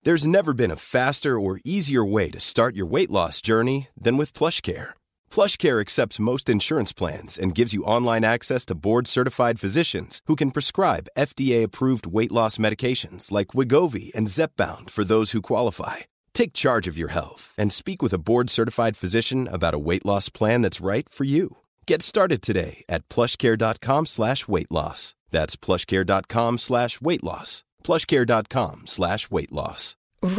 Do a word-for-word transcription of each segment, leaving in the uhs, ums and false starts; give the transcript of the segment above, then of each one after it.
There's never been a faster or easier way to start your weight loss journey than with PlushCare. PlushCare accepts most insurance plans and gives you online access to board-certified physicians who can prescribe F D A-approved weight loss medications like Wegovy and Zepbound for those who qualify. Take charge of your health and speak with a board-certified physician about a weight loss plan that's right for you. Get started today at plushcare.com slash weight loss. That's plushcare.com slash weight loss. plushcare.com slash weight loss.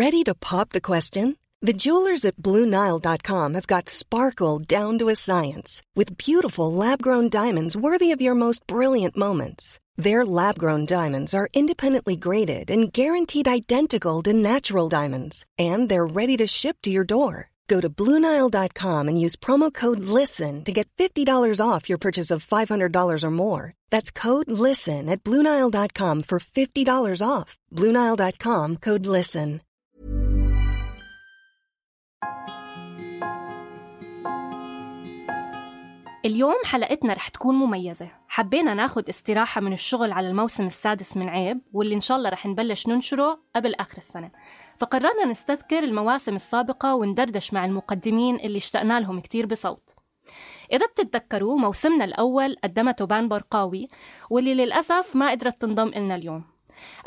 Ready to pop the question? The jewelers at Blue Nile dot com have got sparkle down to a science with beautiful lab-grown diamonds worthy of your most brilliant moments. Their lab-grown diamonds are independently graded and guaranteed identical to natural diamonds, and they're ready to ship to your door. Go to Blue Nile dot com and use promo code LISTEN to get fifty dollars off your purchase of five hundred dollars or more. That's code LISTEN at Blue Nile dot com for fifty dollars off. Blue Nile dot com, code LISTEN. اليوم حلقتنا رح تكون مميزة. حبينا ناخد استراحة من الشغل على الموسم السادس من عيب، واللي إن شاء الله رح نبلش ننشره قبل آخر السنة. فقررنا نستذكر المواسم السابقة وندردش مع المقدمين اللي اشتقنا لهم كتير بصوت. إذا بتتذكروا موسمنا الأول قدمته بان برقاوي، واللي للأسف ما قدرت تنضم إلنا اليوم.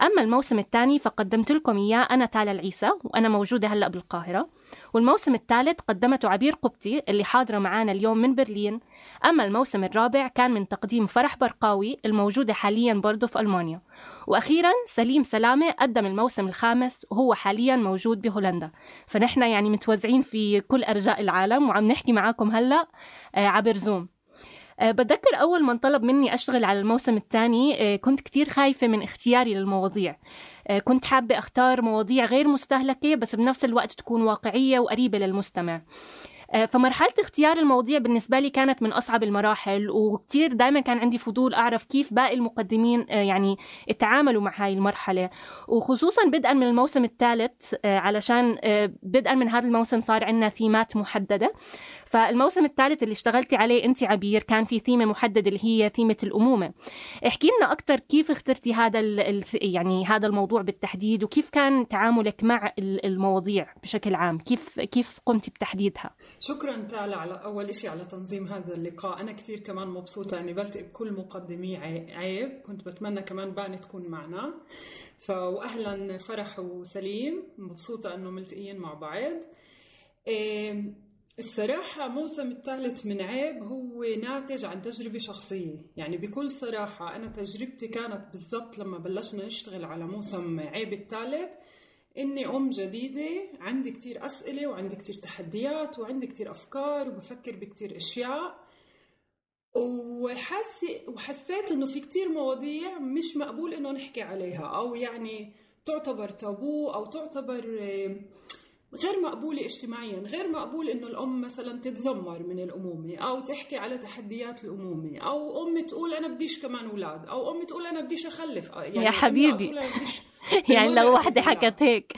أما الموسم الثاني فقدمت لكم إياه أنا تالا العيسى، وأنا موجودة هلأ بالقاهرة. والموسم الثالث قدمته عبير قبطي اللي حاضرة معانا اليوم من برلين. أما الموسم الرابع كان من تقديم فرح برقاوي الموجودة حالياً برضو في ألمانيا. وأخيراً سليم سلامة قدم الموسم الخامس وهو حالياً موجود بهولندا. فنحن يعني متوزعين في كل أرجاء العالم وعم نحكي معاكم هلأ عبر زوم. أه بتذكر أول من طلب مني أشتغل على الموسم الثاني أه كنت كتير خايفة من اختياري للمواضيع. أه كنت حابة أختار مواضيع غير مستهلكة بس بنفس الوقت تكون واقعية وقريبة للمستمع. فمرحلة اختيار المواضيع بالنسبة لي كانت من أصعب المراحل، وكتير دائما كان عندي فضول أعرف كيف باقي المقدمين يعني اتعاملوا مع هاي المرحلة، وخصوصا بدءا من الموسم الثالث علشان بدءا من هذا الموسم صار عندنا ثيمات محددة. فالموسم الثالث اللي اشتغلتي عليه أنت عبير كان في ثيمة محددة اللي هي ثيمة الأمومة. احكي لنا أكتر كيف اخترتي هذا يعني هذا الموضوع بالتحديد، وكيف كان تعاملك مع المواضيع بشكل عام، كيف كيف قمتي بتحديدها؟ شكرا تالا على أول إشي على تنظيم هذا اللقاء. أنا كتير كمان مبسوطة أني بلتقي بكل مقدمي عيب، كنت بتمنى كمان باني تكون معنا. فأهلا فرح وسليم، مبسوطة أنه ملتقيين مع بعض. الصراحة موسم الثالث من عيب هو ناتج عن تجربة شخصية، يعني بكل صراحة أنا تجربتي كانت بالضبط لما بلشنا نشتغل على موسم عيب الثالث إني أم جديدة، عندي كتير أسئلة وعندي كتير تحديات وعندي كتير أفكار وبفكر بكتير أشياء، وحسي وحسيت إنه في كتير مواضيع مش مقبول إنه نحكي عليها، أو يعني تعتبر تابو أو تعتبر غير مقبولة اجتماعيا. غير مقبول إنه الأم مثلا تتذمر من الأمومة أو تحكي على تحديات الأمومة، أو أم تقول أنا بديش كمان أولاد، أو أم تقول أنا بديش أخلف. يعني يا حبيبي يعني لو واحدة حكت هيك.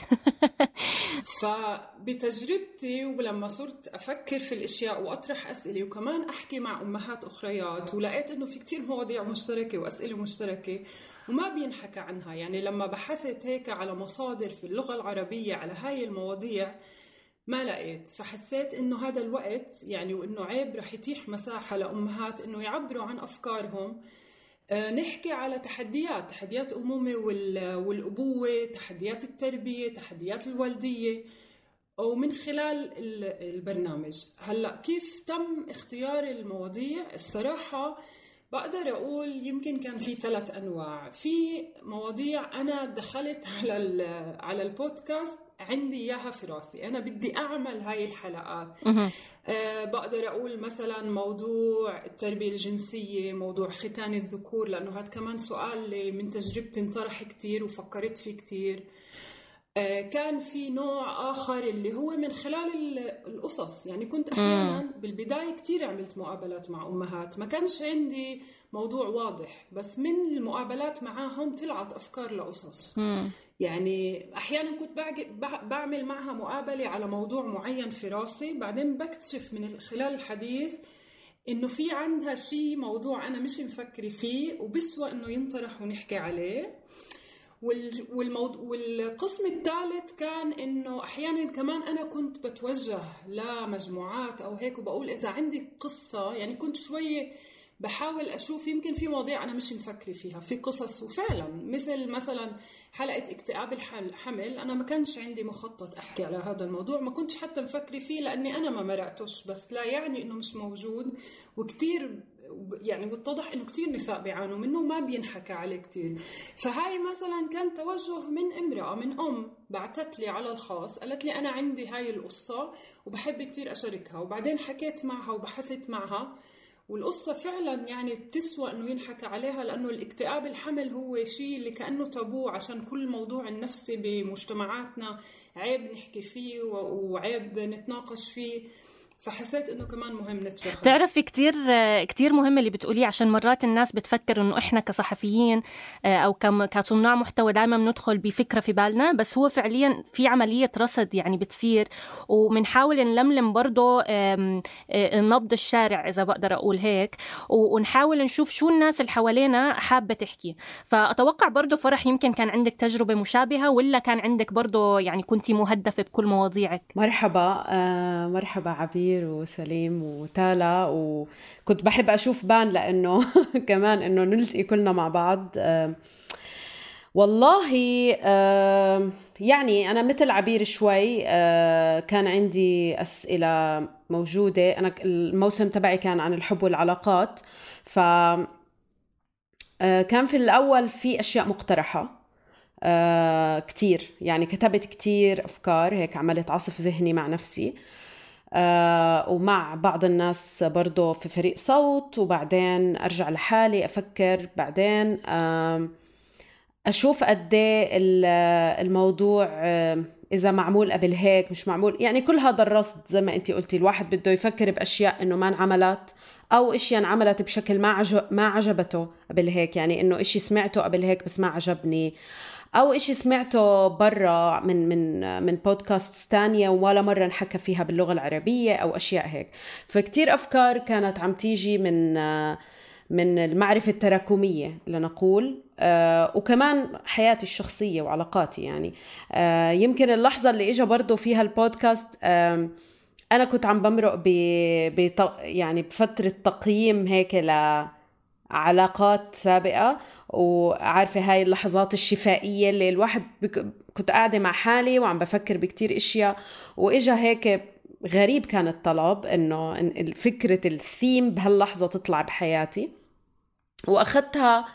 فبتجربتي ولما صرت أفكر في الأشياء وأطرح أسئلة وكمان أحكي مع أمهات أخريات، ولقيت إنه في كتير مواضيع مشتركة وأسئلة مشتركة وما بينحكى عنها. يعني لما بحثت هيك على مصادر في اللغة العربية على هاي المواضيع ما لقيت، فحسيت إنه هذا الوقت يعني وإنه عيب رح يتيح مساحة لأمهات إنه يعبروا عن أفكارهم. نحكي على تحديات تحديات أمومة والأبوة، تحديات التربية، تحديات الوالدية، ومن خلال البرنامج. هلأ كيف تم اختيار المواضيع؟ الصراحة بقدر أقول يمكن كان في ثلاث أنواع. في مواضيع أنا دخلت على على البودكاست عندي إياها في راسي، أنا بدي أعمل هاي الحلقات. أه بقدر أقول مثلا موضوع التربية الجنسية، موضوع ختان الذكور، لأنه هذا كمان سؤال من تجربتي انطرح كتير وفكرت فيه كتير. أه كان في نوع آخر اللي هو من خلال القصص. يعني كنت أحيانا بالبداية كتير عملت مقابلات مع أمهات، ما كانش عندي موضوع واضح، بس من المقابلات معاهم طلعت أفكار لقصص. يعني أحياناً كنت بعمل معها مقابلة على موضوع معين في راسي، بعدين بكتشف من خلال الحديث إنه في عندها شيء موضوع أنا مش مفكرة فيه وبسوى إنه ينطرح ونحكي عليه. والموضوع والقسم الثالث كان إنه أحياناً كمان أنا كنت بتوجه لمجموعات أو هيك وبقول إذا عندي قصة، يعني كنت شوي بحاول أشوف يمكن في مواضيع أنا مش مفكرة فيها في قصص. وفعلا مثل مثلا حلقة اكتئاب الحمل، أنا ما كانش عندي مخطط أحكي على هذا الموضوع، ما كنتش حتى مفكرة فيه لأني أنا ما مرقتوش، بس لا يعني إنه مش موجود. وكتير يعني واتضح إنه كتير نساء بيعانوا منه وما بينحكى عليه كتير. فهاي مثلا كان توجه من امرأة من أم بعتت لي على الخاص، قالت لي أنا عندي هاي القصة وبحب كتير أشاركها. وبعدين حكيت معها وبحثت معها، والقصة فعلا يعني بتسوى انه ينحكى عليها، لانه الاكتئاب الحمل هو شيء اللي كأنه تابو، عشان كل موضوع النفسي بمجتمعاتنا عيب نحكي فيه وعيب نتناقش فيه. فحسيت انه كمان مهم نترك. تعرفي كتير كتير مهم اللي بتقوليه، عشان مرات الناس بتفكر انه احنا كصحفيين او كصناع محتوى دائما بندخل بفكره في بالنا، بس هو فعليا في عمليه رصد يعني بتصير، وبنحاول نلملم برضه نبض الشارع اذا بقدر اقول هيك، ونحاول نشوف شو الناس اللي حوالينا حابه تحكي. فاتوقع برضه فرح يمكن كان عندك تجربه مشابهه، ولا كان عندك برضه يعني كنتي مهدفه بكل مواضيعك؟ مرحبا آه مرحبا عبير وسليم وتالا. وكنت بحب أشوف بان لأنه كمان إنه نلتقي كلنا مع بعض. أه والله أه يعني أنا مثل عبير شوي. أه كان عندي أسئلة موجودة. أنا الموسم تبعي كان عن الحب والعلاقات، ف أه كان في الأول في أشياء مقترحة أه كتير، يعني كتبت كتير أفكار هيك، عملت عصف ذهني مع نفسي آه ومع بعض الناس برضو في فريق صوت، وبعدين أرجع لحالي أفكر، بعدين آه أشوف قديه الموضوع آه إذا معمول قبل هيك مش معمول. يعني كل هذا الرصد زي ما أنتي قلتي، الواحد بده يفكر بأشياء إنه ما انعملت، أو إشياء انعملت بشكل ما عجب ما عجبته قبل هيك، يعني إنه إشي سمعته قبل هيك بس ما عجبني، أو إشي سمعته برا من من من بودكاست تانية ولا مرة نحكى فيها باللغة العربية أو أشياء هيك. فكتير أفكار كانت عم تيجي من من المعرفة التراكمية لنقول، آه وكمان حياتي الشخصية وعلاقاتي. يعني آه يمكن اللحظة اللي إجا برضو فيها البودكاست، آه أنا كنت عم بمرق ب يعني بفترة تقييم هيك لعلاقات سابقة، وعارفة هاي اللحظات الشفائية اللي الواحد بك... كنت قاعدة مع حالي وعم بفكر بكتير إشياء، وإجا هيك غريب كان الطلب إنه فكرة الثيم بهاللحظة تطلع بحياتي، وأخذتها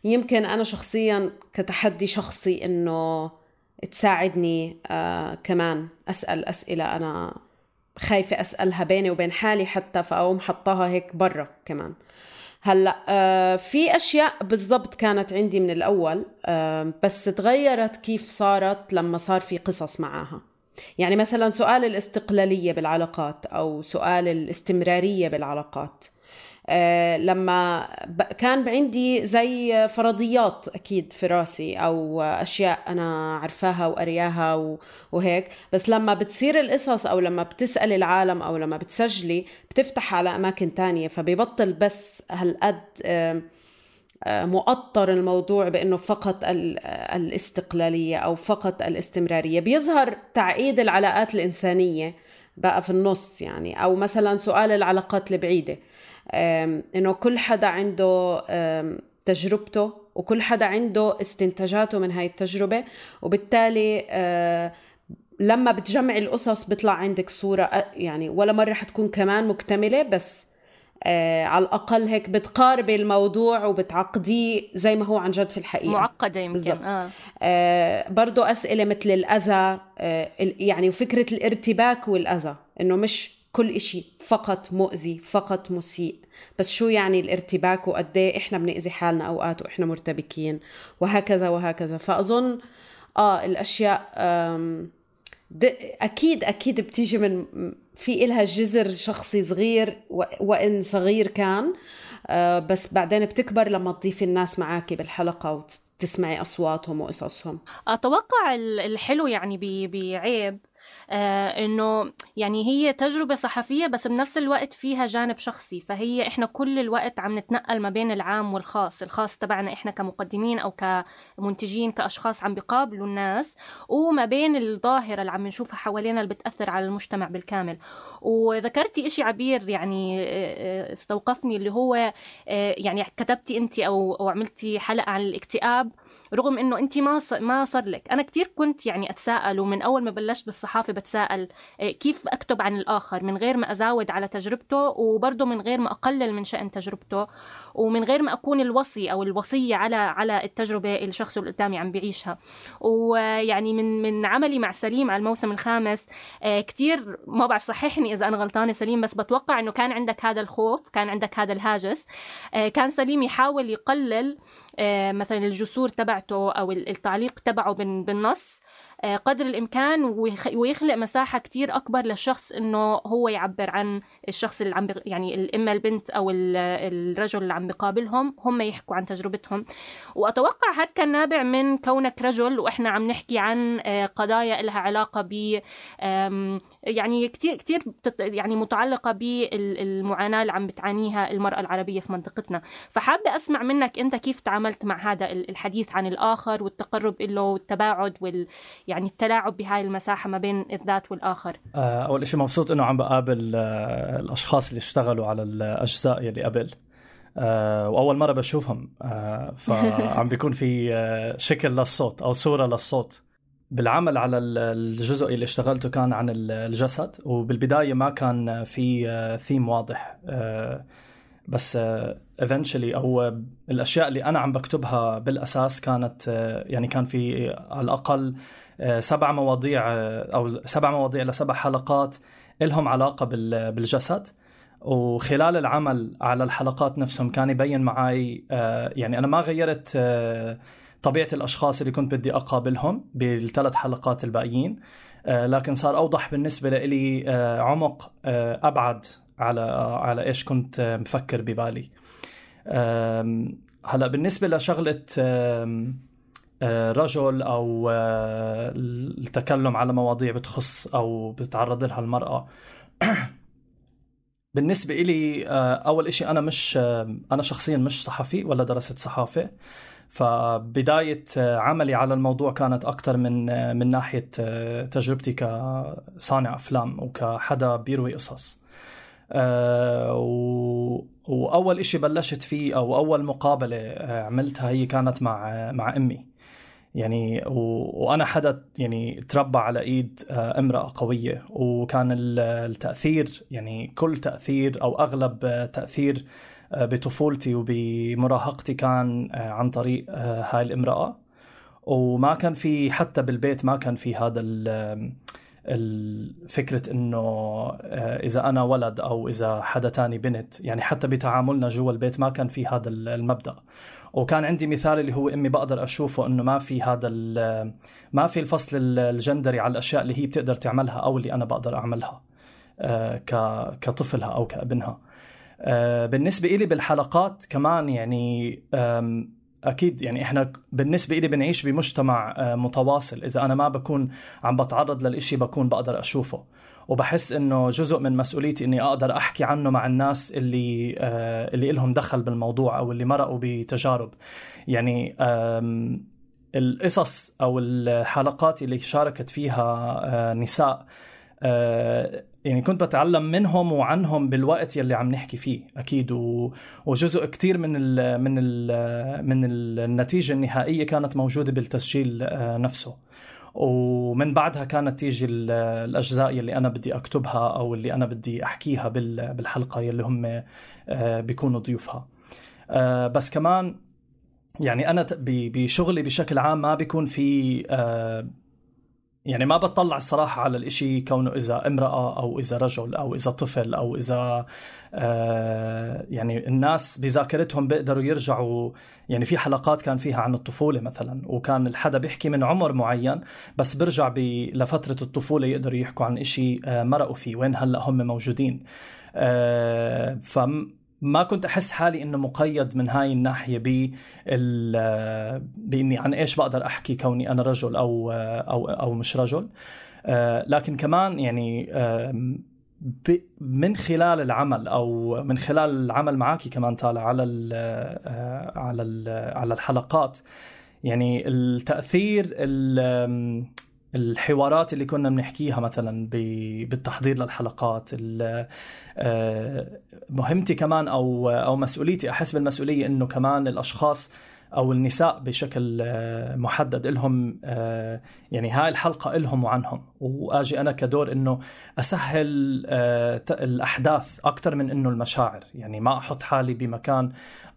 يمكن أنا شخصيا كتحدي شخصي إنه تساعدني آه كمان أسأل أسئلة أنا خايفة أسألها بيني وبين حالي حتى، فأقوم حطاها هيك برا كمان. هلأ آه في أشياء بالضبط كانت عندي من الأول، آه بس تغيرت كيف صارت لما صار في قصص معاها. يعني مثلا سؤال الاستقلالية بالعلاقات أو سؤال الاستمرارية بالعلاقات، آه لما كان عندي زي فرضيات أكيد في راسي أو أشياء أنا عرفاها وقرياها وهيك، بس لما بتصير القصص أو لما بتسأل العالم أو لما بتسجلي بتفتح على أماكن تانية، فبيبطل بس هالقد آه مؤطر الموضوع بأنه فقط الاستقلالية أو فقط الاستمرارية. بيظهر تعقيد العلاقات الإنسانية بقى في النص، يعني أو مثلا سؤال العلاقات البعيدة، إنه كل حدا عنده تجربته وكل حدا عنده استنتاجاته من هاي التجربة، وبالتالي لما بتجمع القصص بيطلع عندك صورة يعني ولا مرة حتكون كمان مكتملة، بس آه على الأقل هيك بتقاربي الموضوع وبتعقديه زي ما هو عن جد في الحقيقة، معقدة يمكن. آه. آه برضو أسئلة مثل الأذى، آه يعني فكرة الارتباك والأذى، إنه مش كل إشي فقط مؤذي فقط مسيء، بس شو يعني الارتباك وقديه إحنا بنأذي حالنا أوقات وإحنا مرتبكين وهكذا وهكذا. فأظن آه الأشياء أكيد أكيد بتيجي من في إلها جذر شخصي صغير وإن صغير كان، بس بعدين بتكبر لما تضيفي الناس معاكي بالحلقة وتسمعي أصواتهم وقصصهم. أتوقع الحلو يعني بعيب آه إنه يعني هي تجربة صحفية بس بنفس الوقت فيها جانب شخصي. فهي إحنا كل الوقت عم نتنقل ما بين العام والخاص، الخاص تبعنا إحنا كمقدمين أو كمنتجين كأشخاص عم بيقابلوا الناس، وما بين الظاهرة اللي عم نشوفها حوالينا اللي بتأثر على المجتمع بالكامل. وذكرتي إشي عبير يعني استوقفني، اللي هو يعني كتبتي أنت أو أو عملتي حلقة عن الاكتئاب، رغم إنه أنت ما ما صار لك. أنا كتير كنت يعني أتساءل، ومن أول ما بلشت بالصحافة بتساءل كيف أكتب عن الآخر من غير ما أزاود على تجربته، وبرضه من غير ما أقلل من شأن تجربته، ومن غير ما أكون الوصي أو الوصية على على التجربة الشخص اللي قدامي عم بيعيشها. ويعني من من عملي مع سليم على الموسم الخامس كتير، ما بعرف صححني إذا أنا غلطانة سليم، بس بتوقع إنه كان عندك هذا الخوف، كان عندك هذا الهاجس. كان سليم يحاول يقلل مثلا الجسور تبعته أو التعليق تبعه بالنص قدر الإمكان، ويخلق مساحة كتير أكبر للشخص إنه هو يعبر عن الشخص اللي عم يعني الإما البنت أو الرجل اللي عم بقابلهم، هم يحكوا عن تجربتهم. وأتوقع هذا كان نابع من كونك رجل وإحنا عم نحكي عن قضايا لها علاقة ب يعني كتير كتير يعني متعلقة بالمعاناة اللي عم بتعانيها المرأة العربية في منطقتنا. فحابة أسمع منك أنت كيف تعاملت مع هذا الحديث عن الآخر والتقرب له والتباعد وال يعني التلاعب بهاي المساحة ما بين الذات والآخر. أول إشي مبسوط إنه عم بقابل الأشخاص اللي اشتغلوا على الأجزاء يلي قبل، وأول مرة بشوفهم، فعم بيكون في شكل للصوت أو صورة للصوت. بالعمل على الجزء اللي اشتغلته كان عن الجسد، وبالبداية ما كان في ثيم واضح، بس eventually أو الأشياء اللي أنا عم بكتبها بالأساس كانت يعني كان في على الأقل سبع مواضيع أو سبع مواضيع لسبع حلقات إلهم علاقة بالجسد. وخلال العمل على الحلقات نفسهم كان يبين معي يعني أنا ما غيرت طبيعة الأشخاص اللي كنت بدي أقابلهم بالثلاث حلقات الباقيين، لكن صار أوضح بالنسبة لي عمق أبعد على على إيش كنت مفكر ببالي. هلأ بالنسبة لشغلة رجل أو التكلم على مواضيع بتخص أو بتتعرض لها المرأة، بالنسبة إلي أول إشي أنا مش أنا شخصيا مش صحفي ولا درست صحافة، فبداية عملي على الموضوع كانت أكتر من من ناحية تجربتي كصانع أفلام وكحدا بيروي قصص. أه وأول إشي بلشت فيه أو أول مقابلة عملتها هي كانت مع مع أمي يعني، وأنا حدا يعني تربى على إيد امرأة قوية، وكان التأثير يعني كل تأثير أو أغلب تأثير بطفولتي وبمراهقتي كان عن طريق هاي الامرأة. وما كان في حتى بالبيت ما كان في هذا الفكرة إنه إذا أنا ولد أو إذا حدا تاني بنت، يعني حتى بتعاملنا جوا البيت ما كان في هذا المبدأ. وكان عندي مثال اللي هو أمي بقدر أشوفه إنه ما في هذا ما في الفصل الجندري على الأشياء اللي هي بتقدر تعملها أو اللي أنا بقدر أعملها كطفلها أو كابنها. بالنسبة إلي بالحلقات كمان يعني أكيد يعني إحنا بالنسبة إلي بنعيش بمجتمع متواصل، إذا أنا ما بكون عم بتعرض للإشي بكون بقدر أشوفه، وبحس إنه جزء من مسؤوليتي إني أقدر أحكي عنه مع الناس اللي اللي إلهم دخل بالموضوع أو اللي مرقوا بتجارب. يعني القصص أو الحلقات اللي شاركت فيها نساء يعني كنت بتعلم منهم وعنهم بالوقت يلي عم نحكي فيه أكيد، وجزء كتير من ال من ال من النتيجة النهائية كانت موجودة بالتسجيل نفسه. ومن بعدها كانت تيجي الأجزاء يلي أنا بدي أكتبها أو اللي أنا بدي أحكيها بالحلقة يلي هم بيكونوا ضيوفها. بس كمان يعني أنا بشغلي بشكل عام ما بيكون في يعني ما بتطلع الصراحة على الإشي كونه إذا امرأة أو إذا رجل أو إذا طفل أو إذا آه يعني الناس بذاكرتهم بيقدروا يرجعوا. يعني في حلقات كان فيها عن الطفولة مثلا، وكان الحدا بيحكي من عمر معين بس برجع لفترة الطفولة يقدروا يحكوا عن إشي آه مرقوا فيه وين هلأ هم موجودين. آه فم ما كنت أحس حالي إنه مقيد من هاي الناحية بإني عن إيش بقدر أحكي كوني أنا رجل أو أو أو مش رجل. لكن كمان يعني من خلال العمل أو من خلال العمل معاكي كمان طالع على ال على ال على الحلقات، يعني التأثير الحوارات اللي كنا بنحكيها مثلا بالتحضير للحلقات، مهمتي كمان أو أو مسؤوليتي، أحس بالمسؤولية إنه كمان الأشخاص أو النساء بشكل محدد إلهم يعني هاي الحلقة إلهم وعنهم، وآجي أنا كدور إنه أسهل الأحداث أكتر من إنه المشاعر، يعني ما أحط حالي بمكان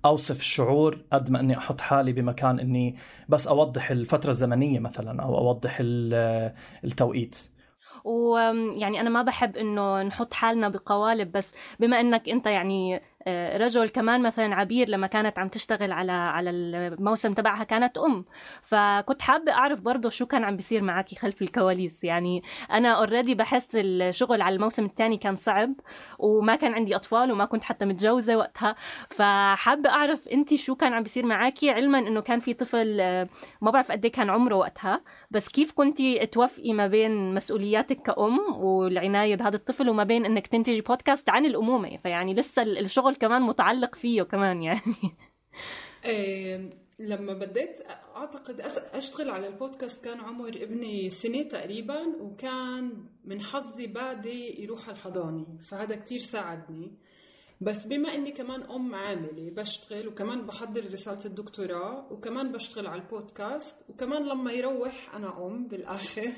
أوصف الشعور قد ما إني أحط حالي بمكان إني بس أوضح الفترة الزمنية مثلا أو أوضح التوقيت. ويعني أنا ما بحب إنه نحط حالنا بقوالب، بس بما إنك أنت يعني رجل كمان، مثلا عبير لما كانت عم تشتغل على على الموسم تبعها كانت أم، فكنت حابة أعرف برضو شو كان عم بيصير معاكي خلف الكواليس. يعني أنا أوريدي بحس الشغل على الموسم الثاني كان صعب، وما كان عندي أطفال وما كنت حتى متجوزة وقتها، فحابة أعرف أنتي شو كان عم بيصير معاكي، علما إنه كان في طفل ما بعرف قد ايه كان عمره وقتها، بس كيف كنتي توفقي ما بين مسؤولياتك كأم والعناية بهذا الطفل وما بين إنك تنتجي بودكاست عن الأمومة؟ فيعني لسه الشغل كمان متعلق فيه كمان يعني. إيه لما بديت أعتقد أشتغل على البودكاست كان عمر ابني سنة تقريبا، وكان من حظي بادي يروح الحضانة، فهذا كتير ساعدني. بس بما أني كمان أم عاملة بشتغل، وكمان بحضر رسالة الدكتوراه، وكمان بشتغل على البودكاست، وكمان لما يروح أنا أم بالآخر،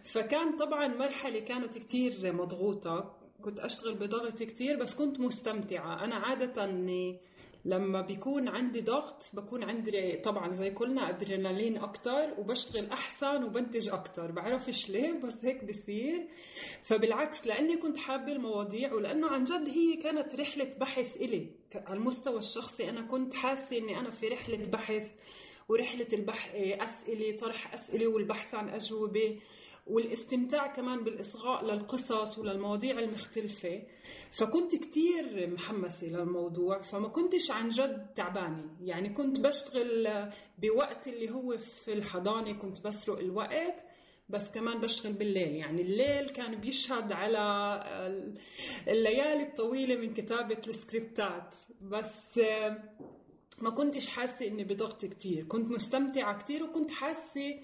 فكان طبعا مرحلة كانت كتير مضغوطة، كنت أشتغل بضغط كتير، بس كنت مستمتعة. أنا عادة أني لما بيكون عندي ضغط بكون عندي طبعا زي كلنا أدرينالين أكتر، وبشتغل أحسن وبنتج أكتر، بعرفش ليه بس هيك بصير. فبالعكس لأني كنت حابة المواضيع، ولأنه عن جد هي كانت رحلة بحث إلي على المستوى الشخصي. أنا كنت حاسة أني أنا في رحلة بحث، ورحلة البحث أسئلة، طرح أسئلة والبحث عن أجوبة، والاستمتاع كمان بالإصغاء للقصص وللمواضيع المختلفة. فكنت كتير محمسة للموضوع، فما كنتش عن جد تعبانة. يعني كنت بشتغل بوقت اللي هو في الحضانة كنت بسرق الوقت، بس كمان بشتغل بالليل. يعني الليل كان بيشهد على الليالي الطويلة من كتابة السكريبتات، بس ما كنتش حاسة إني بضغط كتير، كنت مستمتعة كتير، وكنت حاسة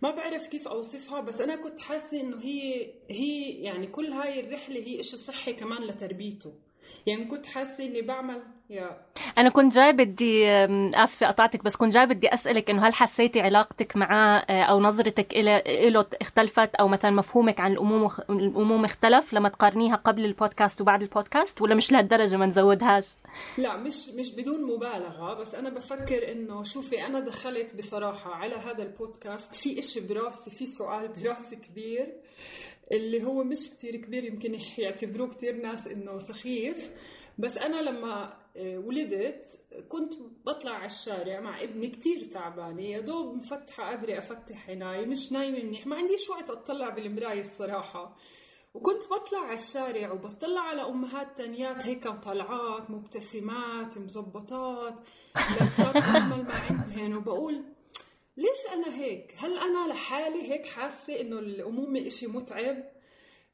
ما بعرف كيف أوصفها، بس أنا كنت حاسة إنه هي هي يعني كل هاي الرحلة هي إشي صحي كمان لتربيته. يعني كنت حاسة إني بعمل يا أنا كنت جاي بدي آسفة قطعتك، بس كنت جاي بدي أسألك إنه هل حسيتي علاقتك معه أو نظرتك إلى إله اختلفت، أو مثلا مفهومك عن الأمومة الأمومة اختلف لما تقارنيها قبل البودكاست وبعد البودكاست، ولا مش لهالدرجة ما نزودهاش؟ لا مش مش بدون مبالغة، بس أنا بفكر إنه شوفي أنا دخلت بصراحة على هذا البودكاست في إشي براسي، في سؤال براسي كبير اللي هو مش كتير كبير، يمكن يعتبروه كتير ناس إنه سخيف، بس أنا لما ولدت كنت بطلع على الشارع مع ابني كتير تعبانة، يا دوب مفتحة قادرة أفتح عيناي، مش نايمة منيح، ما عنديش وقت أطلع بالمراية الصراحة. وكنت بطلع على الشارع وبطلع على أمهات تانيات هيك طلعات مبتسمات مزبطات لابسات أجمل ما عندهن، وبقول ليش أنا هيك؟ هل أنا لحالي هيك حاسة إنه الأمومة إشي متعب؟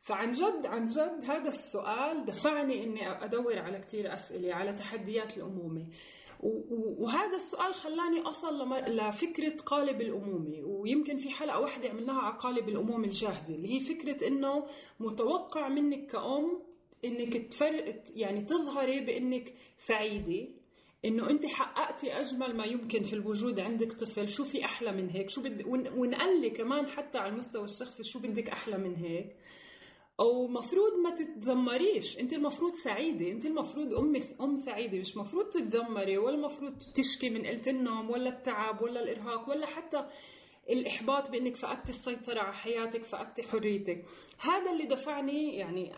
فعن جد عن جد هذا السؤال دفعني إني أدور على كتير أسئلة على تحديات الأمومة، وهذا السؤال خلاني أصل لفكرة قالب الأمومة. ويمكن في حلقة واحدة عملناها على قالب الأمومة الجاهزة، اللي هي فكرة إنه متوقع منك كأم إنك تفرق يعني تظهري بإنك سعيدة، إنه أنت حققتي أجمل ما يمكن في الوجود، عندك طفل، شو في أحلى من هيك؟ شو بدك؟ ونقلي كمان حتى على المستوى الشخصي شو بدك أحلى من هيك؟ أو مفروض ما تتذمريش، أنت المفروض سعيدة، أنت المفروض أم أم سعيدة، مش مفروض تتذمري ولا مفروض تشكي من قلة النوم ولا التعب ولا الإرهاق ولا حتى الإحباط بأنك فقدت السيطرة على حياتك، فقدت حريتك. هذا اللي دفعني يعني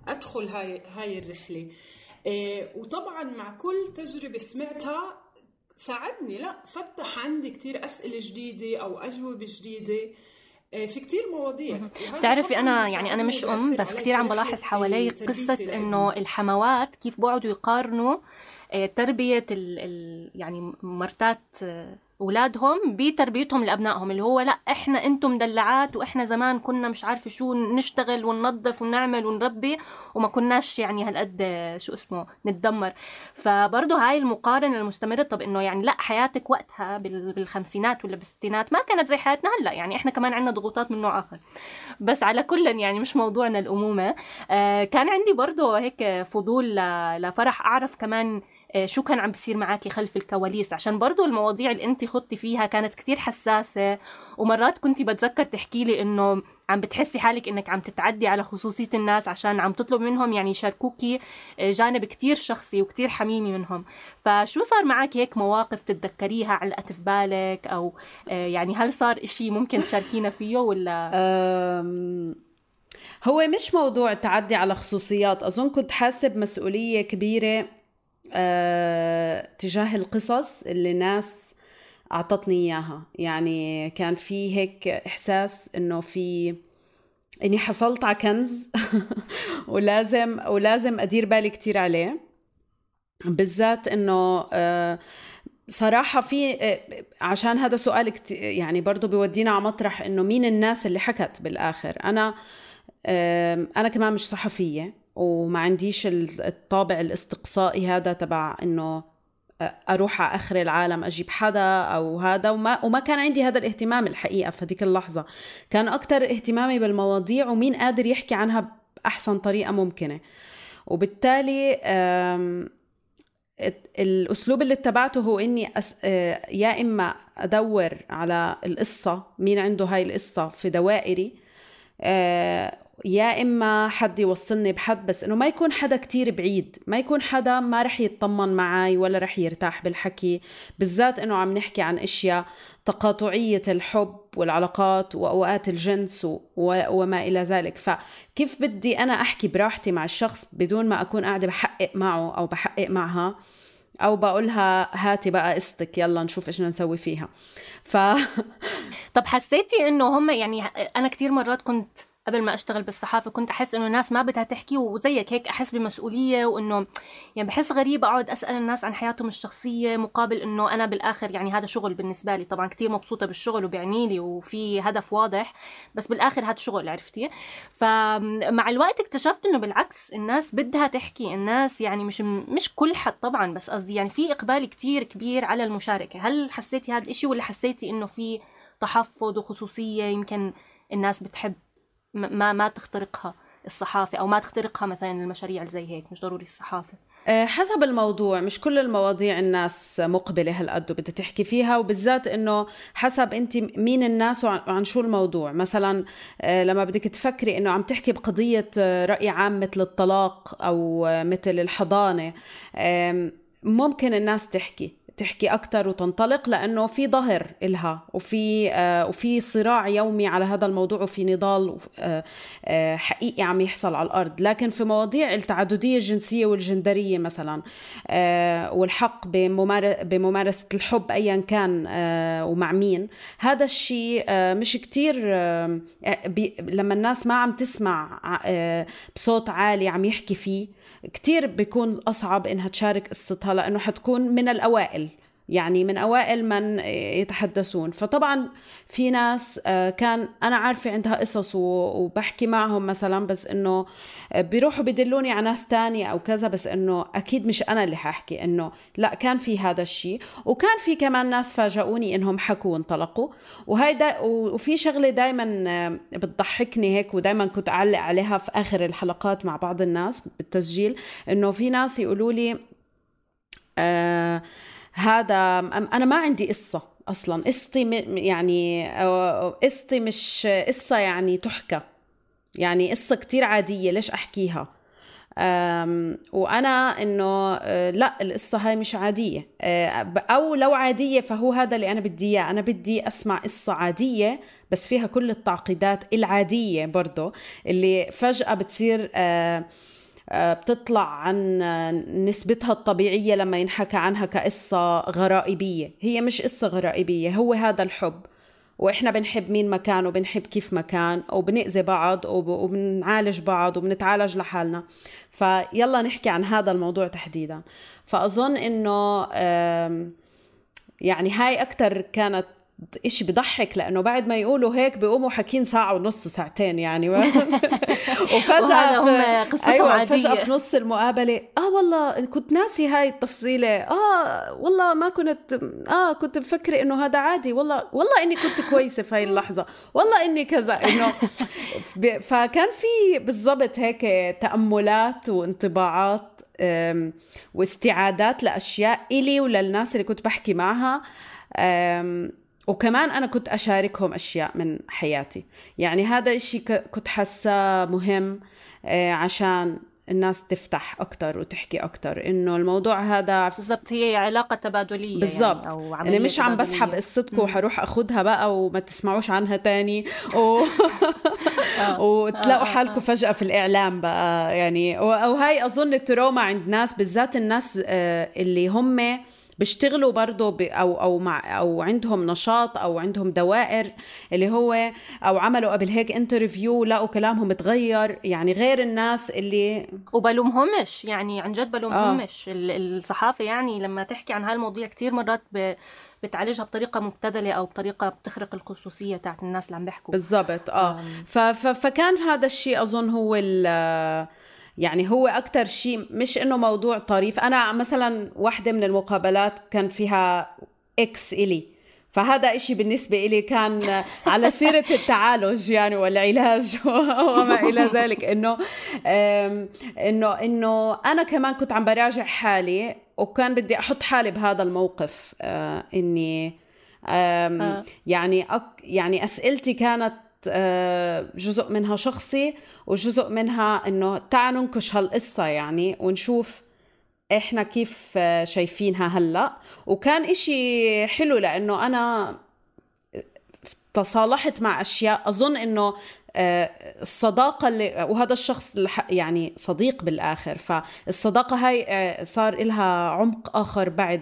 أدخل هاي هاي الرحلة. إيه وطبعا مع كل تجربة سمعتها ساعدني، لا فتح عندي كتير أسئلة جديدة أو أجوبة جديدة في كتير مواضيع. تعرفي أنا يعني أنا مش أم، بس كتير عم بلاحظ حوالي قصة إنه الحموات كيف بقعدوا يقارنوا تربية ال ال يعني مرتات أولادهم بتربيتهم لأبنائهم، اللي هو لا إحنا أنتم مدلعات وإحنا زمان كنا مش عارفة شو نشتغل وننظف ونعمل ونربي وما كناش يعني هالقد شو اسمه نتدمر. فبرضه هاي المقارنة المستمرة. طب إنه يعني لا حياتك وقتها بالخمسينات ولا بالستينات ما كانت زي حياتنا هلا، يعني إحنا كمان عنا ضغوطات من نوع آخر. بس على كل يعني مش موضوعنا الأمومة. آه كان عندي برضه هيك فضول لفرح أعرف كمان شو كان عم بيصير معاكي خلف الكواليس، عشان برضو المواضيع اللي انت خضتي فيها كانت كتير حساسة، ومرات كنتي بتذكر تحكي لي انه عم بتحسي حالك انك عم تتعدي على خصوصية الناس عشان عم تطلب منهم يعني يشاركوكي جانب كتير شخصي وكتير حميمي منهم. فشو صار معاكي هيك مواقف تتذكريها علقت في بالك، او يعني هل صار اشي ممكن تشاركينا فيه ولا؟ هو مش موضوع تعدي على خصوصيات، اظن كنت حاسب مسؤولية كبيرة أه، تجاه القصص اللي الناس أعطتني إياها. يعني كان في هيك إحساس إنه في إني حصلت على كنز ولازم ولازم أدير بالي كتير عليه، بالذات إنه أه صراحة في أه عشان هذا سؤال كتير يعني برضو بيودينا على مطرح إنه مين الناس اللي حكت بالآخر. أنا أه أنا كمان مش صحفية وما عنديش الطابع الاستقصائي هذا تبع انه اروح على اخر العالم اجيب حدا او هذا، وما وما كان عندي هذا الاهتمام الحقيقه في هذيك اللحظه. كان اكتر اهتمامي بالمواضيع ومين قادر يحكي عنها باحسن طريقه ممكنه. وبالتالي الاسلوب اللي اتبعته هو اني أس... يا اما ادور على القصه، مين عنده هاي القصه في دوائري، يا إما حد يوصلني بحد، بس إنه ما يكون حدا كتير بعيد، ما يكون حدا ما رح يتطمن معي ولا رح يرتاح بالحكي، بالذات إنه عم نحكي عن إشياء تقاطعية الحب والعلاقات وأوقات الجنس وما إلى ذلك. فكيف بدي أنا أحكي براحتي مع الشخص بدون ما أكون قاعدة بحقق معه أو بحقق معها أو بقولها هاتي بقى قصتك يلا نشوف إيش نسوي فيها. ف... طب حسيتي إنه هم يعني أنا كتير مرات كنت قبل ما أشتغل بالصحافة كنت أحس إنه الناس ما بدها تحكي، وزيك هيك أحس بمسؤولية، وإنه يعني بحس غريب أقعد أسأل الناس عن حياتهم الشخصية مقابل إنه أنا بالآخر يعني هذا شغل بالنسبة لي. طبعا كتير مبسوطة بالشغل وبعني لي وفي هدف واضح، بس بالآخر هذا شغل، عرفتي؟ فمع الوقت اكتشفت إنه بالعكس الناس بدها تحكي، الناس يعني مش مش كل حد طبعا، بس قصدي يعني في إقبال كتير كبير على المشاركة. هل حسيتي هذا الإشي ولا حسيتي إنه في تحفظ وخصوصية يمكن الناس بتحب ما ما تخترقها الصحافة أو ما تخترقها مثلا المشاريع اللي زي هيك؟ مش ضروري الصحافة، حسب الموضوع. مش كل المواضيع الناس مقبلة هالقد وبدها تحكي فيها، وبالذات إنه حسب أنت مين الناس وعن شو الموضوع. مثلا لما بدك تفكري إنه عم تحكي بقضية رأي عام مثل الطلاق أو مثل الحضانة، ممكن الناس تحكي تحكي أكتر وتنطلق لأنه في ظهر إلها وفي آه وفي صراع يومي على هذا الموضوع وفي نضال آه آه حقيقي عم يحصل على الأرض. لكن في مواضيع التعددية الجنسية والجندرية مثلا آه والحق بممار- بممارسة الحب أيا كان آه ومع مين، هذا الشيء آه مش كتير آه لما الناس ما عم تسمع آه بصوت عالي عم يحكي فيه، كتير بيكون أصعب إنها تشارك قصتها، لأنه حتكون من الأوائل، يعني من أوائل من يتحدثون. فطبعا في ناس كان أنا عارفة عندها قصص وبحكي معهم مثلا، بس إنه بيروحوا بدلوني على ناس تاني أو كذا، بس إنه أكيد مش أنا اللي ححكي. إنه لا، كان في هذا الشيء، وكان في كمان ناس فاجئوني إنهم حكوا وانطلقوا. وهاي دا وفي شغلة دايما بتضحكني هيك ودايما كنت أعلق عليها في آخر الحلقات مع بعض الناس بالتسجيل، إنه في ناس يقولوا لي آه هذا أنا ما عندي قصة أصلاً، قصتي يعني قصتي مش قصة يعني تحكى، يعني قصة كتير عادية ليش أحكيها؟ وأنا إنه لا، القصة هاي مش عادية، أو لو عادية فهو هذا اللي أنا بدي إياه. أنا بدي أسمع قصة عادية بس فيها كل التعقيدات العادية برضو اللي فجأة بتصير بتطلع عن نسبتها الطبيعية لما ينحكى عنها كقصة غرائبية. هي مش قصة غرائبية، هو هذا الحب، وإحنا بنحب مين مكان وبنحب كيف مكان وبنأذي بعض وبنعالج بعض وبنتعالج لحالنا. فيلا نحكي عن هذا الموضوع تحديدا. فأظن إنه يعني هاي أكتر كانت إشي بضحك، لأنه بعد ما يقولوا هيك بيقوموا حكين ساعة ونص وساعتين يعني وفجأة هم قصتهم أيوة عادية. فجأة في نص المقابلة آه والله كنت ناسي هاي التفصيلة، آه والله ما كنت آه كنت بفكر إنه هذا عادي، والله والله إني كنت كويسة في هاي اللحظة، والله إني كذا إنه فكان في بالضبط هيك تأملات وانطباعات واستعادات لأشياء إلي وللناس اللي كنت بحكي معها. وكمان أنا كنت أشاركهم أشياء من حياتي، يعني هذا الشيء كنت حاسة مهم عشان الناس تفتح أكتر وتحكي أكتر، إنه الموضوع هذا بالضبط هي علاقة تبادلية بالضبط يعني، أو أنا مش عم بسحب قصتكم وحروح أخدها بقى وما تسمعوش عنها تاني و... وتلاقوا حالكم فجأة في الإعلام بقى يعني. أو هاي أظن التروما عند ناس، بالذات الناس اللي هم بيشتغلوا برضو ب... أو أو مع أو عندهم نشاط أو عندهم دوائر اللي هو أو عملوا قبل هيك انترفيو لقوا كلامهم متغير، يعني غير الناس اللي وبلومهمش يعني عن جد بلومهمش. آه. الصحافة يعني لما تحكي عن هالمواضيع كتير مرات ب... بتعالجها بطريقة مبتذلة أو بطريقة بتخرق الخصوصية تاعت الناس اللي عم بيحكوا. بالضبط آه ف... ف... فكان هذا الشيء أظن هو ال... يعني هو أكتر شيء، مش إنه موضوع طريف. أنا مثلا واحدة من المقابلات كان فيها إكس إلي، فهذا إشي بالنسبة إلي كان على سيرة التعالج يعني والعلاج وما إلى ذلك، إنه إنه إنه أنا كمان كنت عم براجع حالي وكان بدي أحط حالي بهذا الموقف. آه إني آه. يعني أك يعني أسئلتي كانت جزء منها شخصي وجزء منها إنه تعالوا ننكش هالقصة يعني ونشوف إحنا كيف شايفينها هلأ. وكان إشي حلو لأنه أنا تصالحت مع أشياء أظن إنه الصداقة اللي وهذا الشخص يعني صديق بالآخر، فالصداقة هاي صار إلها عمق آخر بعد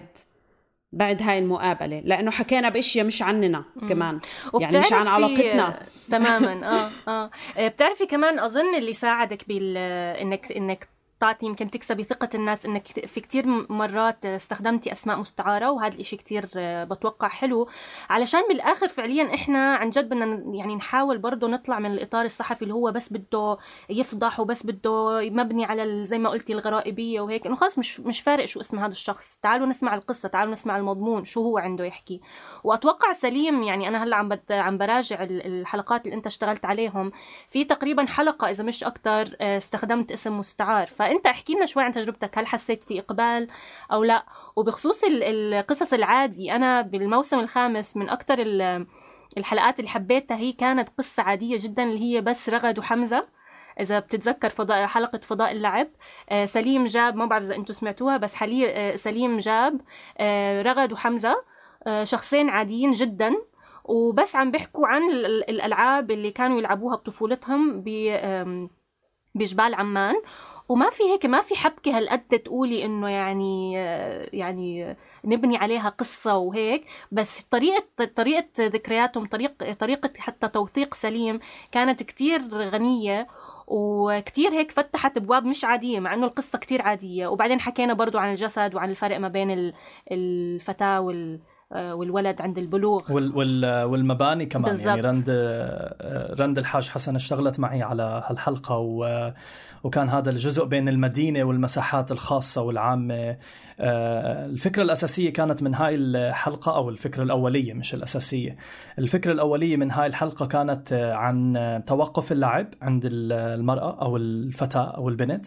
بعد هاي المقابلة، لأنه حكينا بأشياء مش عننا كمان يعني مش عن علاقتنا تماما. آه آه بتعرفي كمان أظن اللي ساعدك بال إنك إنك تعطي يمكن تكسبي ثقة الناس إنك في كتير مرات استخدمتي أسماء مستعارة، وهذا الإشي كتير بتوقع حلو علشان بالآخر فعليا إحنا عن جد بدنا يعني نحاول برضو نطلع من الإطار الصحفي اللي هو بس بده يفضح وبس بده مبني على زي ما قلتي الغرائبية وهيك، إنه خلاص مش مش فارق شو اسم هذا الشخص، تعالوا نسمع القصة، تعالوا نسمع المضمون شو هو عنده يحكي. وأتوقع سليم يعني أنا هلا عم بد عم براجع الحلقات اللي أنت اشتغلت عليهم، في تقريبا حلقة إذا مش أكتر استخدمت اسم مستعار، فأنت احكي لنا شوي عن تجربتك، هل حسيت في إقبال أو لا؟ وبخصوص القصص العادي، أنا بالموسم الخامس من أكتر الحلقات اللي حبيتها هي كانت قصة عادية جدا اللي هي بس رغد وحمزة. إذا بتتذكر فضاء حلقة فضاء اللعب، سليم جاب، ما بعرف إذا أنتوا سمعتوها، بس حاليا سليم جاب رغد وحمزة شخصين عاديين جدا وبس عم بيحكوا عن الألعاب اللي كانوا يلعبوها بطفولتهم بجبال عمان، وما في هيك ما في حبكة هالقد تقولي إنه يعني يعني نبني عليها قصة وهيك، بس طريقة طريقة ذكرياتهم، طريقة طريقة حتى توثيق سليم كانت كتير غنية وكتير هيك فتحت أبواب مش عادية مع إنه القصة كتير عادية. وبعدين حكينا برضو عن الجسد وعن الفرق ما بين الفتاة وال والولد عند البلوغ والمباني كمان بالزبط. يعني رند رند الحاج حسن اشتغلت معي على هالحلقة و وكان هذا الجزء بين المدينة والمساحات الخاصة والعامة. الفكرة الأساسية كانت من هاي الحلقة، أو الفكرة الأولية مش الأساسية، الفكرة الأولية من هاي الحلقة كانت عن توقف اللعب عند المرأة أو الفتاة أو البنت.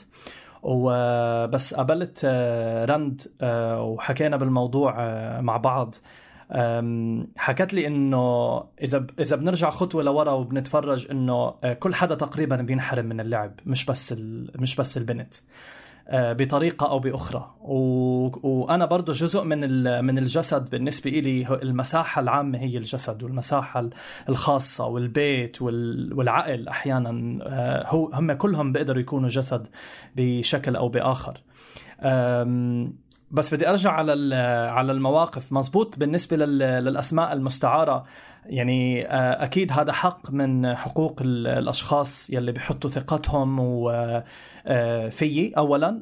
وبس قابلت رند وحكينا بالموضوع مع بعض، حكت لي إنه إذا إذا بنرجع خطوة لورا وبنتفرج إنه كل حدا تقريبا بينحرم من اللعب، مش بس مش بس البنت بطريقة أو بأخرى. وأنا برضو جزء من من الجسد بالنسبة إلي، المساحة العامة هي الجسد، والمساحة الخاصة والبيت والعقل أحيانا هو هم كلهم بيقدروا يكونوا جسد بشكل أو بآخر. بس بدي أرجع على على المواقف. مزبوط بالنسبة للأسماء المستعارة، يعني أكيد هذا حق من حقوق الأشخاص يلي بيحطوا ثقتهم وفيي أولا،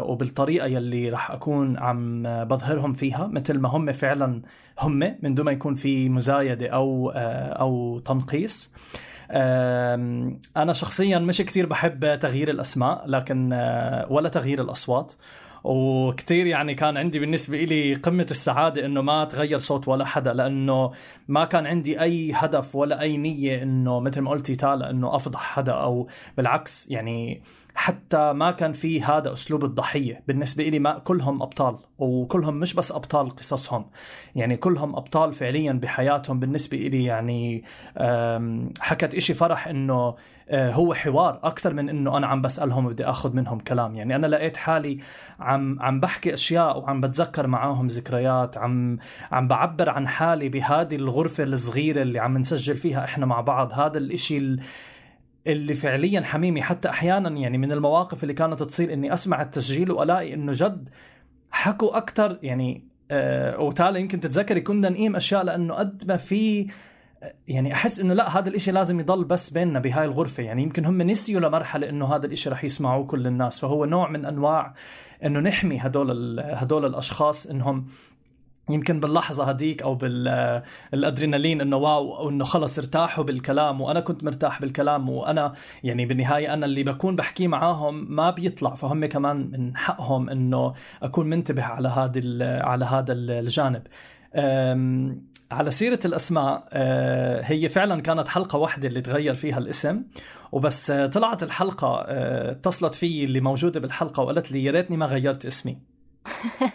وبالطريقة يلي رح أكون عم بظهرهم فيها مثل ما هم فعلا هم، من دون ما يكون في مزايدة أو أو تنقيص. أنا شخصيا مش كتير بحب تغيير الأسماء، لكن ولا تغيير الأصوات. وكتير يعني كان عندي بالنسبة إلي قمة السعادة إنه ما تغير صوت ولا حدا، لأنه ما كان عندي أي هدف ولا أي نية إنه مثل ما قلتي تالا إنه أفضح حدا، أو بالعكس يعني حتى ما كان في هذا أسلوب الضحية بالنسبة إلي. ما كلهم أبطال، وكلهم مش بس أبطال قصصهم، يعني كلهم أبطال فعليا بحياتهم بالنسبة إلي. يعني حكت إشي فرح إنه هو حوار أكثر من إنه أنا عم بسألهم وبدي أخذ منهم كلام. يعني أنا لقيت حالي عم عم بحكي أشياء وعم بتذكر معاهم ذكريات، عم عم بعبر عن حالي بهذه الغرفة الصغيرة اللي عم نسجل فيها إحنا مع بعض. هذا الإشي اللي فعليا حميمي. حتى أحيانا يعني من المواقف اللي كانت تصير إني أسمع التسجيل وألاقي إنه جد حكوا أكتر. يعني آه وتالي يمكن تتذكري كنا نقيم أشياء لأنه قد ما في يعني أحس إنه لا، هذا الإشي لازم يضل بس بيننا بهاي الغرفة. يعني يمكن هم نسيوا لمرحلة إنه هذا الإشي رح يسمعوه كل الناس. فهو نوع من أنواع إنه نحمي هدول هدول الأشخاص، إنهم يمكن باللحظة هديك أو بالأدرينالين إنه واو، إنه خلص ارتاحوا بالكلام وأنا كنت مرتاح بالكلام، وأنا يعني بالنهاية أنا اللي بكون بحكي معاهم ما بيطلع، فهم كمان من حقهم إنه أكون منتبه على هذا على هذا الجانب. على سيرة الأسماء، هي فعلا كانت حلقة واحدة اللي تغير فيها الاسم، وبس طلعت الحلقة اتصلت في اللي موجودة بالحلقة وقالت لي يا ريتني ما غيرت اسمي.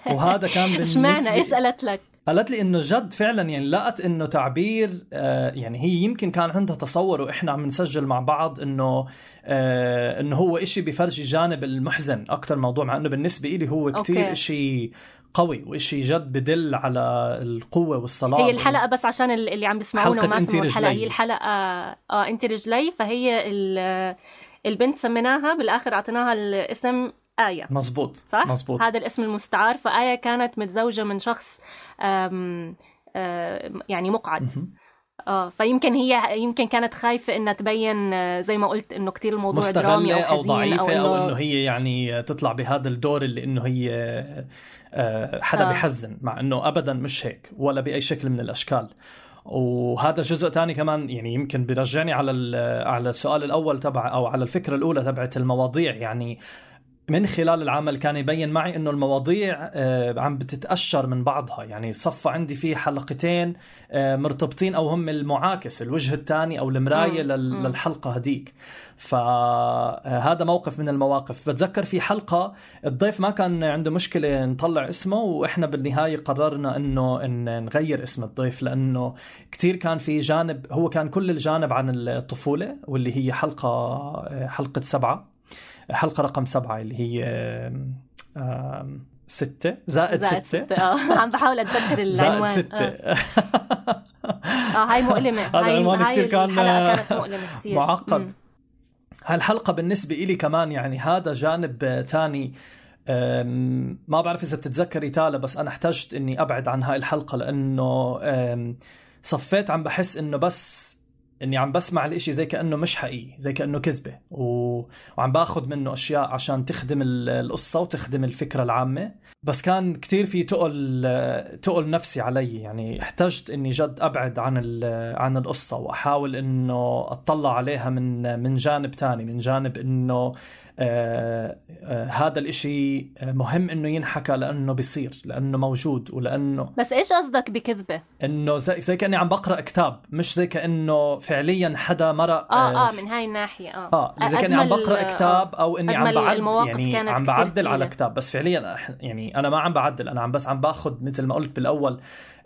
وهذا كان بالنسبة اشمعنى ايش قالت لك؟ قالت لي انه جد فعلا يعني لقت انه تعبير آه يعني هي يمكن كان عندها تصور واحنا عم نسجل مع بعض انه آه انه هو اشي بيفرجي جانب المحزن اكتر موضوع، مع انه بالنسبة لي هو كتير أوكي. اشي قوي وإشي جد بدل على القوة والصلاة. هي الحلقة بس عشان اللي عم بيسمعونا وما سمعوا الحلقة، هي الحلقة آه انت رجلي، فهي البنت سميناها بالاخر اعطيناها الاسم آية. مزبوط صح؟ مزبوط. هذا الاسم المستعار. فآية كانت متزوجة من شخص آم آم يعني مقعد. اه فيمكن هي يمكن كانت خايفة انها تبين زي ما قلت انه كتير الموضوع درامي او حزين او ضعيفة، او انه هي يعني تطلع بهذا الدور اللي انه هي حدا آه. بيحزن، مع انه ابدا مش هيك ولا باي شكل من الاشكال. وهذا جزء تاني كمان يعني يمكن بيرجعني على على السؤال الاول تبع او على الفكرة الاولى تبعت المواضيع. يعني من خلال العمل كان يبين معي انه المواضيع عم بتتأشر من بعضها، يعني صف عندي فيه حلقتين مرتبطين او هم المعاكس، الوجه الثاني او المراية للحلقة هديك. فهذا موقف من المواقف. بتذكر في حلقة الضيف ما كان عنده مشكلة نطلع اسمه، واحنا بالنهاية قررنا انه إن نغير اسم الضيف، لانه كتير كان في جانب، هو كان كل الجانب عن الطفولة، واللي هي حلقة حلقة سبعة، حلقة رقم سبعة اللي هي آم ستة زائد, زائد ستة, ستة. آه. عم بحاول أتذكر العنوان. زائد ستة. آه. آه هاي مؤلمة. هاي, هاي الحلقة كانت مؤلمة كتير، معقد. هالحلقة بالنسبة إلي كمان يعني هذا جانب تاني. ما بعرف إذا بتتذكري تالا، بس أنا احتجت إني أبعد عن هاي الحلقة، لأنه صفيت عم بحس إنه بس إني عم بسمع الإشي زي كأنه مش حقيقي، زي كأنه كذبة، و... وعم باخد منه أشياء عشان تخدم القصة وتخدم الفكرة العامة. بس كان كتير في تقل تقل نفسي علي، يعني احتجت إني جد أبعد عن عن القصة وأحاول إنه أطلع عليها من من جانب تاني، من جانب إنه آه آه هذا الاشي مهم انه ينحكى لانه بيصير، لانه موجود، ولانه. بس ايش قصدك بكذبة؟ انه زي, زي كأني عم بقرأ كتاب، مش زي كأنه فعليا حدا مرق. اه اه من هاي الناحية. اه اه زي كأني عم بقرأ كتاب او اني عم بعدل، يعني عم بعدل على كتاب، بس فعليا يعني انا ما عم بعدل، انا عم بس عم باخد مثل ما قلت بالاول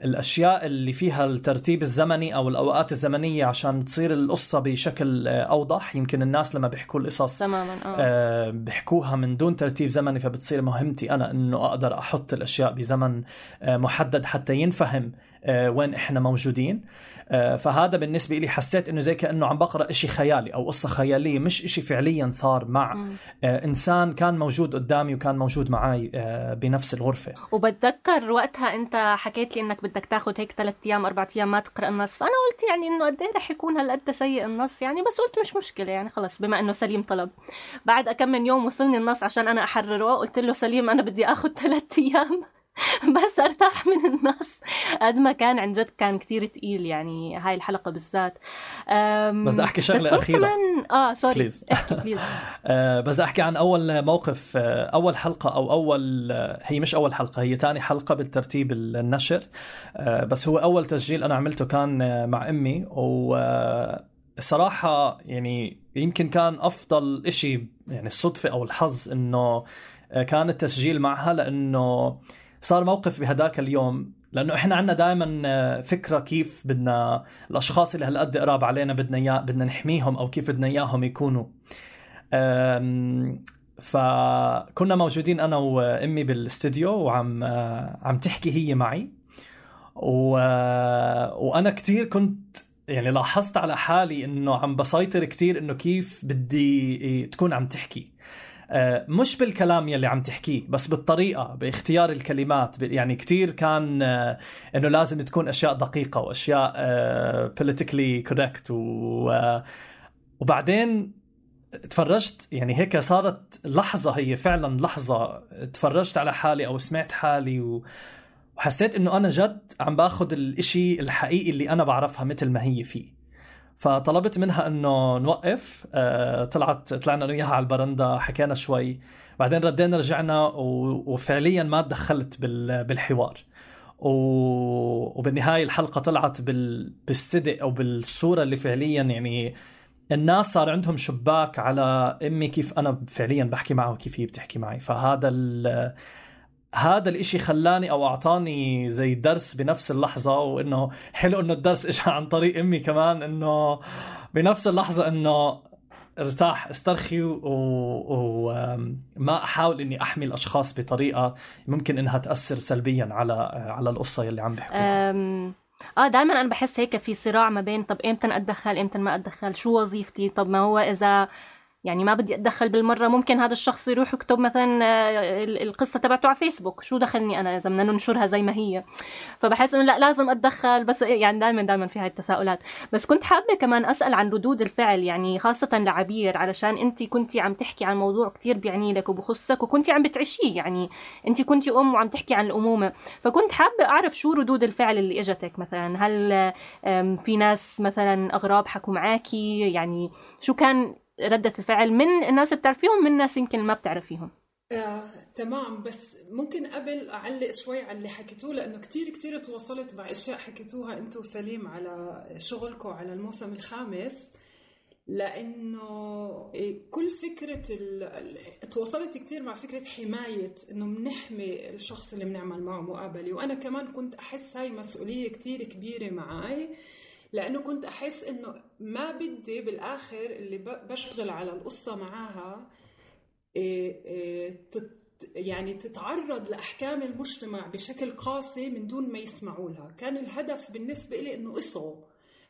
الأشياء اللي فيها الترتيب الزمني أو الأوقات الزمنية عشان تصير القصة بشكل أوضح. يمكن الناس لما بيحكوا القصص تماما آه بيحكوها من دون ترتيب زمني، فبتصير مهمتي أنا أنه أقدر أحط الأشياء بزمن آه محدد حتى ينفهم وين إحنا موجودين. فهذا بالنسبة لي حسيت إنه زي كأنه عم بقرأ إشي خيالي أو قصة خيالية، مش إشي فعليا صار مع م. إنسان كان موجود قدامي وكان موجود معي بنفس الغرفة. وبتذكر وقتها أنت حكيت لي إنك بدك تاخد هيك ثلاثة أيام أربعة أيام ما تقرأ النص، فأنا قلت يعني إنه قد إيه رح يكون هالقد سيء النص يعني، بس قلت مش مشكلة يعني خلص بما إنه سليم طلب. بعد كم من يوم وصلني النص عشان أنا أحرره، قلت له سليم أنا بدي أخد ثلاثة أيام بس ارتاح من النص. قد ما كان عن جد كان كتير تقيل يعني هاي الحلقة بالذات. بس احكي شغلة أخيرة كمان... اه سوري احكي بليز. بس احكي عن اول موقف، اول حلقة او اول، هي مش اول حلقة، هي تاني حلقة بالترتيب النشر، بس هو اول تسجيل انا عملته كان مع امي. وصراحة يعني يمكن كان افضل اشي يعني الصدفة او الحظ انه كان التسجيل معها، لانه صار موقف بهداك اليوم، لأنه إحنا عنا دائما فكرة كيف بدنا الأشخاص اللي هالقد قراب علينا بدنا إياه بدنا نحميهم أو كيف بدنا إياهم يكونوا. فكنا موجودين أنا وأمي بالاستوديو وعم عم تحكي هي معي، و... وأنا كتير كنت يعني لاحظت على حالي إنه عم بسيطر كتير إنه كيف بدي تكون عم تحكي، مش بالكلام يلي عم تحكيه بس بالطريقة باختيار الكلمات. يعني كتير كان إنه لازم تكون أشياء دقيقة وأشياء politically correct. وبعدين تفرجت يعني هيك صارت لحظة، هي فعلا لحظة تفرجت على حالي أو سمعت حالي وحسيت إنه أنا جد عم باخد الإشي الحقيقي اللي أنا بعرفها مثل ما هي فيه. فطلبت منها انه نوقف. أه طلعت طلعنا وياها على البرندة، حكينا شوي، بعدين ردينا رجعنا وفعليا ما تدخلت بالحوار. وبالنهاية الحلقة طلعت بالصدق او بالصورة اللي فعليا يعني الناس صار عندهم شباك على امي كيف انا فعليا بحكي معها وكيف هي بتحكي معي. فهذا هذا الاشي خلاني او اعطاني زي درس بنفس اللحظة، وانه حلو انه الدرس اجى عن طريق امي كمان، انه بنفس اللحظة انه ارتاح استرخي وما احاول اني احمي الاشخاص بطريقة ممكن انها تأثر سلبيا على على القصة اللي عم بيحكوها. اه دائما انا بحس هيك في صراع ما بين طب امتى اتدخل امتى ما اتدخل، شو وظيفتي، طب ما هو اذا يعني ما بدي أتدخل بالمرة ممكن هذا الشخص يروح يكتب مثلا القصة تبعته على فيسبوك، شو دخلني أنا إذا بدنا ننشرها زي ما هي. فبحس إنه لا لازم أتدخل، بس يعني دائما دائما في هاي التساؤلات. بس كنت حابة كمان أسأل عن ردود الفعل، يعني خاصة لعبير، علشان أنت كنتي عم تحكي عن موضوع كتير بيعني لك وبخصك وكنتي عم بتعيشيه، يعني أنت كنتي أم وعم تحكي عن الأمومة. فكنت حابة أعرف شو ردود الفعل اللي إجتك، مثلا هل في ناس مثلا أغراب حكوا معاكي، يعني شو كان ردة الفعل من الناس بتعرفيهم من الناس يمكن ما بتعرفيهم؟ آه، تمام. بس ممكن قبل أعلق شوي على اللي حكيتوه، لأنه كتير كتير تواصلت مع أشياء حكيتوها أنتوا وسليم على شغلكم على الموسم الخامس، لأنه كل فكرة تواصلت كتير مع فكرة حماية، إنه منحمي الشخص اللي بنعمل معه مقابلة. وأنا كمان كنت أحس هاي مسؤولية كتير كبيرة معي، لأنه كنت أحس إنه ما بدي بالآخر اللي بشتغل على القصة معاها يعني تتعرض لأحكام المجتمع بشكل قاسي من دون ما يسمعوا لها. كان الهدف بالنسبة لي إنه اصغوا،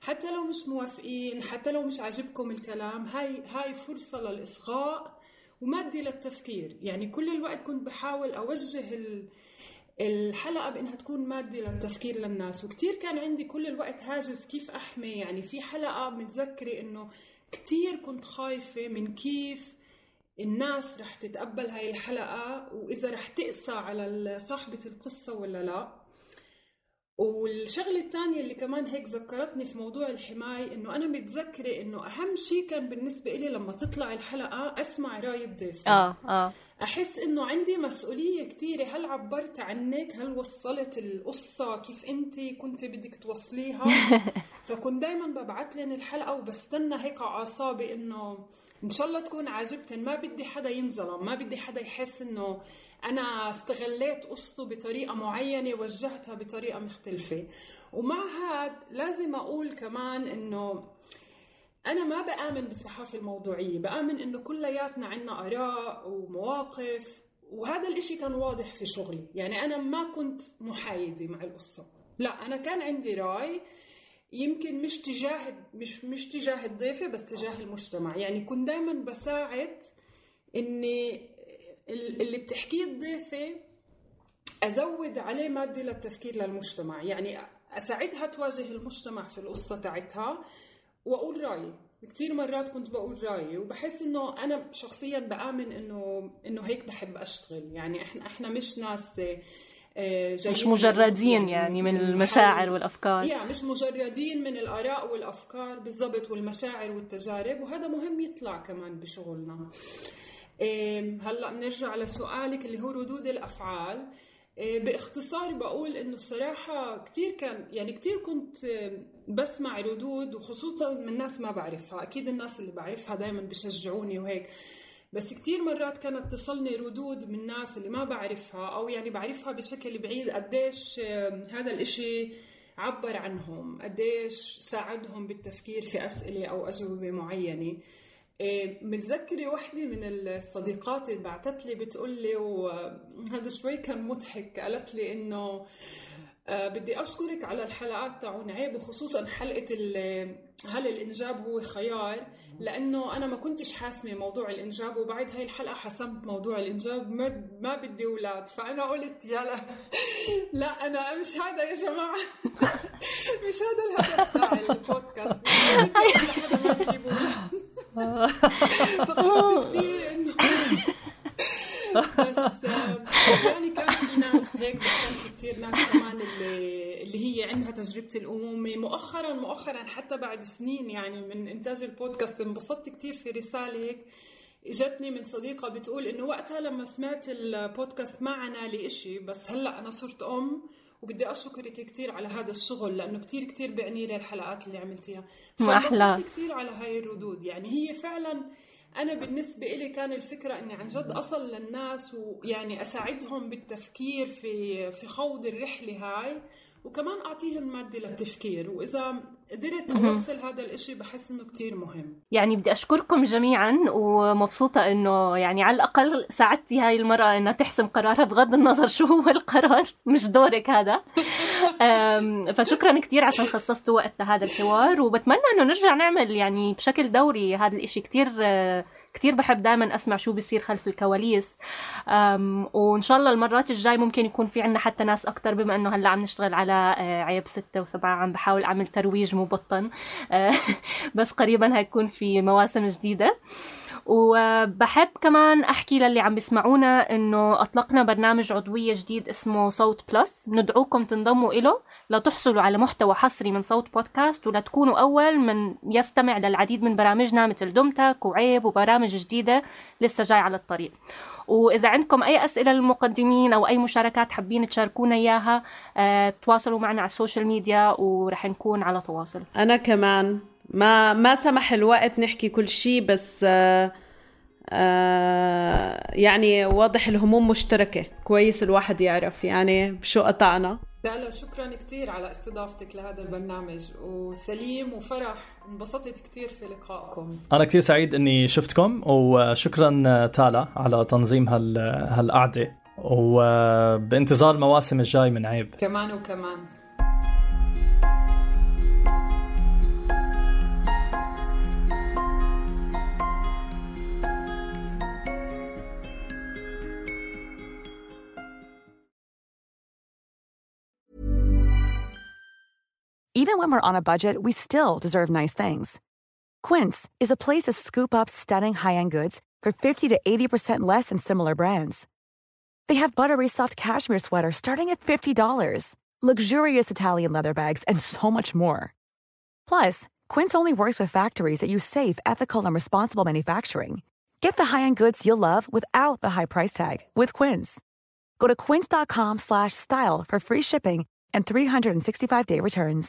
حتى لو مش موافقين، حتى لو مش عاجبكم الكلام، هاي هاي فرصة للإصغاء ومادي للتفكير. يعني كل الوقت كنت بحاول أوجه ال الحلقة بأنها تكون مادة للتفكير للناس. وكتير كان عندي كل الوقت هاجس كيف أحمي. يعني في حلقة متذكرة أنه كتير كنت خايفة من كيف الناس رح تتقبل هاي الحلقة، وإذا رح تقسى على صاحبة القصة ولا لا. والشغلة الثانية اللي كمان هيك ذكرتني في موضوع الحماية، أنه أنا متذكرة أنه أهم شيء كان بالنسبة إلي لما تطلع الحلقة أسمع رأي الضيف. آه آه أحس إنه عندي مسؤولية كتيرة، هل عبرت عنك، هل وصلت القصة كيف أنتي كنت بدك توصليها. فكنت دايما ببعت لين الحلقة وبستنى هيك عصابي إنه إن شاء الله تكون عاجبتن. ما بدي حدا ينظلم، ما بدي حدا يحس إنه أنا استغليت قصته بطريقة معينة وجهتها بطريقة مختلفة. ومع هاد لازم أقول كمان إنه أنا ما بآمن بالصحافة الموضوعية، بآمن إنه كلياتنا عنا آراء ومواقف، وهذا الإشي كان واضح في شغلي. يعني أنا ما كنت محايدة مع القصة، لا أنا كان عندي رأي يمكن مش تجاه مش مش تجاه الضيفة بس تجاه المجتمع. يعني كنت دائما بساعد إني اللي بتحكيه الضيفة أزود عليه مادة للتفكير للمجتمع، يعني أساعدها تواجه المجتمع في القصة تاعتها وأقول رأيي. كتير مرات كنت بقول رأيي وبحس إنه أنا شخصياً بآمن إنه إنه هيك بحب أشتغل. يعني إحنا إحنا مش ناس مش مجردين يعني من المشاعر والأفكار، يعني مش مجردين من الآراء والأفكار بالضبط والمشاعر والتجارب، وهذا مهم يطلع كمان بشغلنا. هلأ بنرجع لسؤالك اللي هو ردود الأفعال. باختصار بقول إنه الصراحة كتير كان يعني كتير كنت بسمع ردود وخصوصا من ناس ما بعرفها. أكيد الناس اللي بعرفها دايما بيشجعوني وهيك، بس كتير مرات كانت تصلني ردود من ناس اللي ما بعرفها أو يعني بعرفها بشكل بعيد قديش هذا الإشي عبر عنهم، قديش ساعدهم بالتفكير في أسئلة أو أجوبة معينة. متذكرة واحدة من الصديقات اللي بعتت لي بتقول لي، وهذا شوي كان مضحك، قالت لي إنه أه بدي أشكرك على الحلقات تاعون عيب وخصوصا حلقة هل الإنجاب هو خيار، لأنه أنا ما كنتش حاسمة موضوع الإنجاب وبعد هاي الحلقة حسمت موضوع الإنجاب، ما, ما بدي أولاد. فأنا قلت يلا لا أنا مش هذا يا جماعة مش هذا الهدف تاع البودكاست، لحدا ما تجيبوا فقلت كتير إنه بس يعني كان في ناس هيك، بس كان في كتير ناس كمان اللي اللي هي عندها تجربة الأمومة مؤخرا مؤخرا حتى بعد سنين يعني من إنتاج البودكاست. انبسطت كتير في رسالة هيك جتني من صديقة بتقول إنه وقتها لما سمعت البودكاست ما عنا لي إشي، بس هلأ أنا صرت أم وبدي أشكرك كتير على هذا الشغل لأنه كتير كتير بعني لي الحلقات اللي عملتيها. فانبسطت كتير على هاي الردود. يعني هي فعلا أنا بالنسبة إلي كان الفكرة أني عن جد أصل للناس ويعني أساعدهم بالتفكير في في خوض الرحلة هاي، وكمان أعطيهم مادة للتفكير. وإذا قدرت أوصل هذا الإشي بحس إنه كتير مهم. يعني بدي أشكركم جميعا ومبسوطة إنه يعني على الأقل ساعدتي هاي المرأة إنها تحسم قرارها بغض النظر شو هو القرار، مش دورك هذا. فشكرا كتير عشان خصصتوا وقت لهذا الحوار، وبتمنى إنه نرجع نعمل يعني بشكل دوري هذا الإشي. كتير كتير بحب دائما أسمع شو بيصير خلف الكواليس، وإن شاء الله المرات الجاي ممكن يكون في عنا حتى ناس أكتر، بما أنه هلأ عم نشتغل على عيب ستة وسبعة عم بحاول أعمل ترويج مبطن بس قريبا هيكون في مواسم جديدة. وبحب كمان أحكي للي عم بيسمعونا إنه أطلقنا برنامج عضوية جديد اسمه صوت بلس، ندعوكم تنضموا إله لتحصلوا على محتوى حصري من صوت بودكاست ولتكونوا أول من يستمع للعديد من برامجنا مثل دمتك وعيب وبرامج جديدة لسه جاي على الطريق. وإذا عندكم أي أسئلة للمقدمين أو أي مشاركات حابين تشاركونا إياها، أه تواصلوا معنا على السوشيال ميديا ورح نكون على تواصل. أنا كمان ما ما سمح الوقت نحكي كل شيء، بس آه آه يعني واضح الهموم مشتركة، كويس الواحد يعرف يعني بشو قطعنا. لا لا شكرا كتير على استضافتك لهذا البرنامج، وسليم وفرح انبسطت كتير في لقائكم. أنا كتير سعيد أني شفتكم، وشكرا تالا على تنظيم هال هالقعدة، وبانتظار المواسم الجاي من عيب. كمان وكمان. Even when we're on a budget, we still deserve nice things. Quince is a place to scoop up stunning high-end goods for fifty to eighty percent less than similar brands. They have buttery soft cashmere sweaters starting at fifty dollars, luxurious Italian leather bags, and so much more. Plus, Quince only works with factories that use safe, ethical, and responsible manufacturing. Get the high-end goods you'll love without the high price tag with Quince. Go to quince dot com slash style for free shipping and three hundred sixty-five day returns.